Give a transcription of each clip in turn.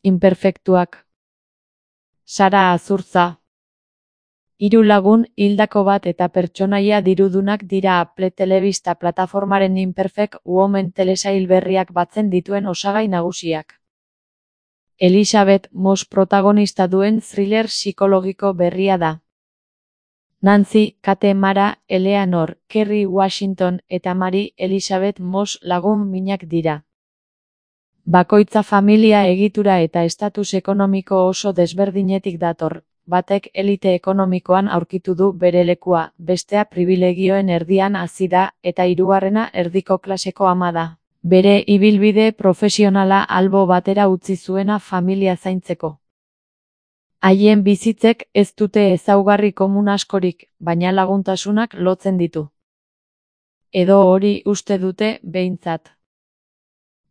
Inperfektuak. Sara Azurtza. 3 lagun hildako bat eta pertsonaia dirudunak dira Apple telebista plataformaren Imperfect Women telesail berriak batzen dituen osagai nagusiak. Elizabeth Moss protagonista duen thriller psikologiko berria da. Nancy, Kate Mara, Eleanor, Kerry Washington eta Mary Elizabeth Moss lagun minak dira. Bakoitza familia egitura eta estatus ekonomiko oso desberdinetik dator. Batek elite ekonomikoan aurkitu du bere lekua, bestea pribilegioen erdian hazi da, eta hirugarrena erdiko klaseko ama da. Bere ibilbide profesionala albo batera utzi zuena familia zaintzeko. Haien bizitzek ez dute ezaugarri komun askorik, baina laguntasunak lotzen ditu. Edo hori uste dute behintzat.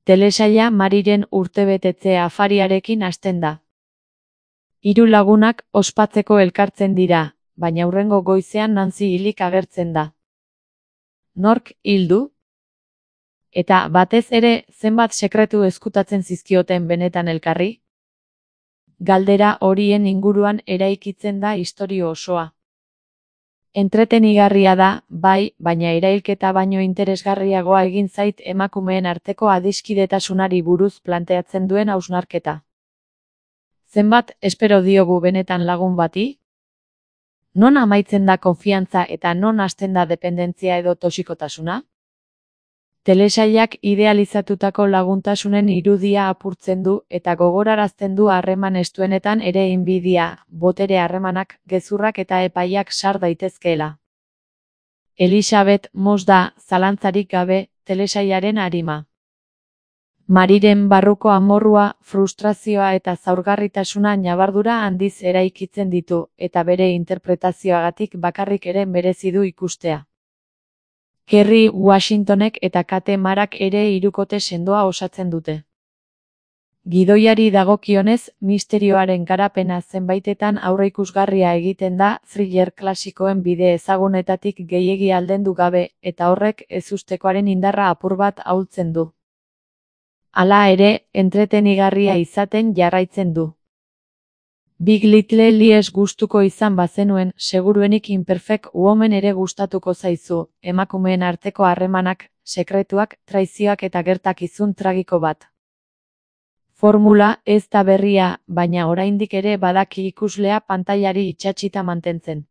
Telesaila Maryren urtebetetze afariarekin hasten da. 3 lagunak ospatzeko elkartzen dira, baina hurrengo goizean Nancy hilik agertzen da. Nork hil du? Eta batez ere zenbat sekretu ezkutatzen zizkioten benetan elkarri? Galdera horien inguruan eraikitzen da istorio osoa. Entretenigarria da, bai, baina erailketa baino interesgarriagoa egin zait emakumeen arteko adiskidetasunari buruz planteatzen duen hausnarketa. Zenbat espero diogu benetan lagun bati? Non amaitzen da konfiantza eta non hasten da dependentzia edo toxikotasuna? Telesailak idealizatutako laguntasunen irudia apurtzen du eta gogorarazten du harreman estuenetan ere inbidia, botere harremanak, gezurrak eta epaiak sar daitezkeela. Elizabeth Moss da, zalantzarik gabe, telesailaren arima. Maryren barruko amorrua, frustrazioa eta zaurgarritasuna ñabardura handiz eraikitzen ditu, eta bere interpretazioagatik bakarrik ere merezi du ikustea. Kerry Washingtonek eta Kate Marak ere hirukote sendoa osatzen dute. Gidoiari dagokionez, misterioaren garapena zenbaitetan aurreikusgarria egiten da thriller klasikoen bide ezagunetatik gehiegi aldendu gabe, eta horrek ezustekoaren indarra apur bat ahultzen du. Hala ere, entretenigarria izaten jarraitzen du. Big Little Lies gustuko izan bazenuen, seguruenik Imperfect Women ere gustatuko zaizu, emakumeen arteko harremanak, sekretuak, traizioak eta gertakizun tragiko bat. Formula ez da berria, baina oraindik ere badaki ikuslea pantailari itsatsita mantentzen.